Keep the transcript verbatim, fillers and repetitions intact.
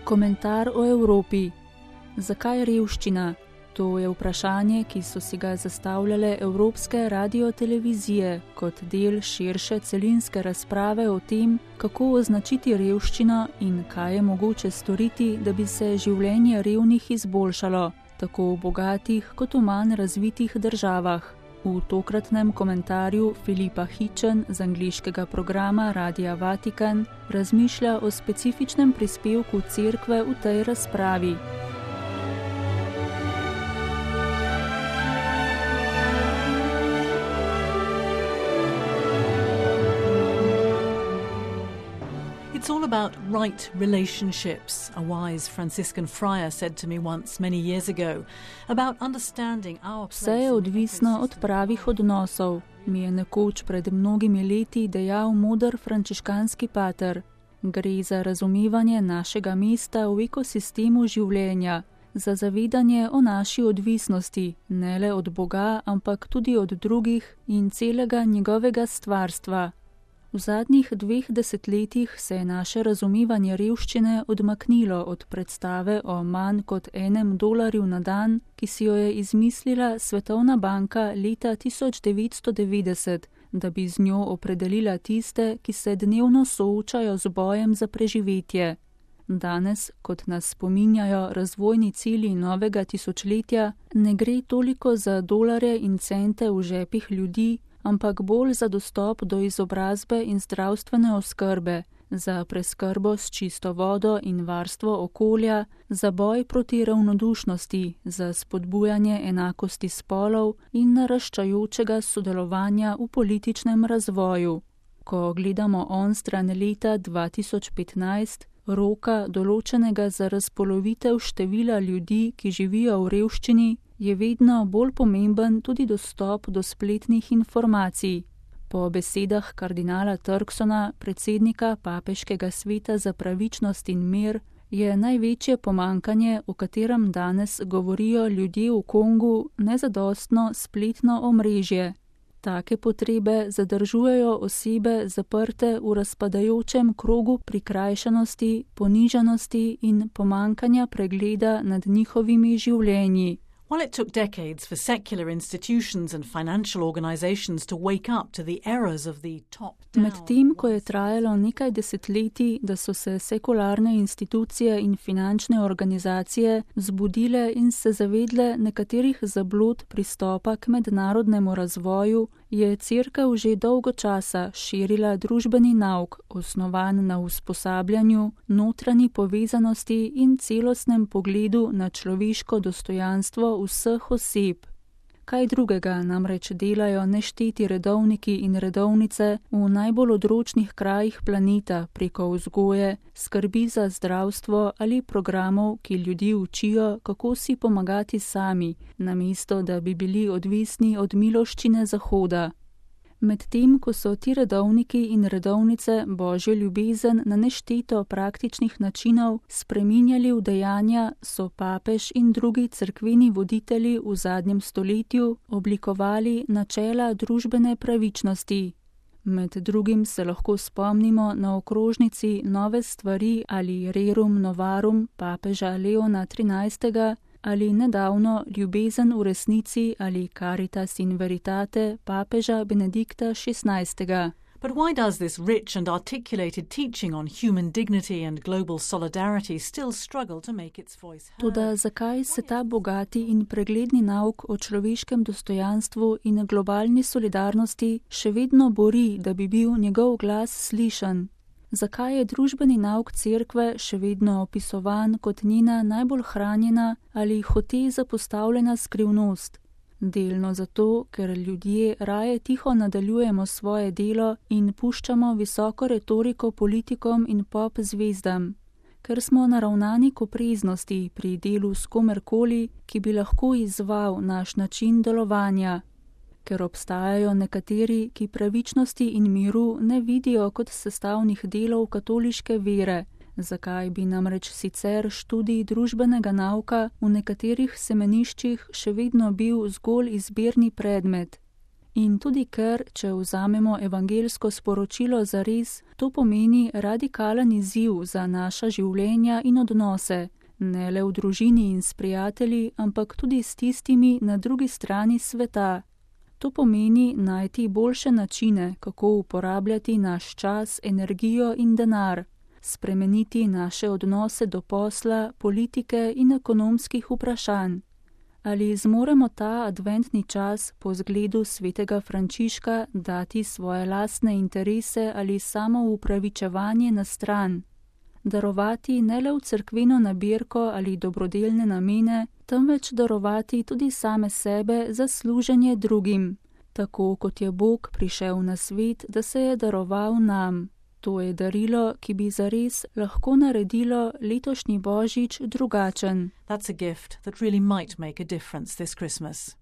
Komentar o Evropi. Zakaj revščina? To je vprašanje, ki so si ga zastavljale evropske radiotelevizije kot del širše celinske razprave o tem, kako označiti revščino in kaj je mogoče storiti, da bi se življenje revnih izboljšalo, tako v bogatih kot v manj razvitih državah. V tokratnem komentarju Filipa Hitchen z angleškega programa Radia Vatikan razmišlja o specifičnem prispevku cerkve v tej razpravi. It's all about right relationships, a wise Franciscan friar said to me once many years ago, about understanding our place. Vse je odvisno od pravih odnosov, mi je nekoč pred mnogimi leti dejal moder frančiškanski pater. Gre za razumevanje našega mesta v ekosistemu življenja, za zavedanje o naši odvisnosti, ne le od Boga, ampak tudi od drugih in celega njegovega stvarstva. V zadnjih dveh desetletjih se je naše razumevanje revščine odmaknilo od predstave o manj kot enem dolarju na dan, ki si jo je izmislila Svetovna banka leta tisoč devetsto devetdeset, da bi z njo opredelila tiste, ki se dnevno soočajo z bojem za preživetje. Danes, kot nas spominjajo razvojni cilji novega tisočletja, ne gre toliko za dolarje in cente v žepih ljudi, ampak bolj za dostop do izobrazbe in zdravstvene oskrbe, za preskrbo s čisto vodo in varstvo okolja, za boj proti ravnodušnosti, za spodbujanje enakosti spolov in naraščajočega sodelovanja v političnem razvoju. Ko gledamo onstran leta dva tisoč petnajst, roka določenega za razpolovitev števila ljudi, ki živijo v revščini, je vedno bolj pomemben tudi dostop do spletnih informacij. Po besedah kardinala Turksona, predsednika Papeškega sveta za pravičnost in mir, je največje pomanjkanje, o katerem danes govorijo ljudje v Kongu, nezadostno spletno omrežje. Take potrebe zadržujejo osebe zaprte v razpadajočem krogu prikrajšanosti, ponižanosti in pomanjkanja pregleda nad njihovimi življenji. While it took decades for secular institutions and financial organizations to wake up to the errors of the top-down... Medtem, ko je trajalo nekaj desetletij, da so se sekularne institucije in finančne organizacije zbudile in se zavedle nekaterih zablud pristopa k mednarodnemu razvoju, je cerkev že dolgo časa širila družbeni nauk, osnovan na usposabljanju, notranji povezanosti in celostnem pogledu na človeško dostojanstvo vseh oseb. Kaj drugega namreč delajo nešteti redovniki in redovnice v najbolj odročnih krajih planeta preko vzgoje, skrbi za zdravstvo ali programov, ki ljudi učijo, kako si pomagati sami, namesto da bi bili odvisni od miloščine Zahoda. Medtem, ko so ti redovniki in redovnice Božjo ljubezen na nešteto praktičnih načinov spreminjali v dejanja, so papež in drugi cerkveni voditelji v zadnjem stoletju oblikovali načela družbene pravičnosti. Med drugim se lahko spomnimo na okrožnici Nove stvari ali Rerum novarum papeža Leona trinajstega, ali nedavno Ljubezen v resnici ali Caritas in veritate papeža Benedikta šestnajstega. But why does this rich and articulated teaching on human dignity and global solidarity still struggle to make its voice heard? Toda zakaj se ta bogati in pregledni nauk o človeškem dostojanstvu in globalni solidarnosti še vedno bori, da bi bil njegov glas slišan? Zakaj je družbeni nauk cerkve še vedno opisovan kot njena najbolj hranjena ali hote zapostavljena skrivnost? Delno zato, ker ljudje raje tiho nadaljujemo svoje delo in puščamo visoko retoriko politikom in pop zvezdam. Ker smo naravnani k opreznosti pri delu s komerkoli, ki bi lahko izzval naš način delovanja. Ker obstajajo nekateri, ki pravičnosti in miru ne vidijo kot sestavnih delov katoliške vere, zakaj bi namreč sicer študij družbenega nauka v nekaterih semeniščih še vedno bil zgolj izbirni predmet. In tudi ker, če vzamemo evangelsko sporočilo zares, to pomeni radikalen izziv za naša življenja in odnose, ne le v družini in s prijatelji, ampak tudi s tistimi na drugi strani sveta. To pomeni najti boljše načine, kako uporabljati naš čas, energijo in denar, spremeniti naše odnose do posla, politike in ekonomskih vprašanj. Ali zmoremo ta adventni čas po zgledu svetega Frančiška dati svoje lastne interese ali samo upravičevanje na stran? Darovati ne le v cerkveno nabirko ali dobrodelne namene, temveč darovati tudi same sebe za služenje drugim, tako kot je Bog prišel na svet, da se je daroval nam. To je darilo, ki bi zares lahko naredilo letošnji Božič drugačen. That's a gift that really might make a difference this Christmas.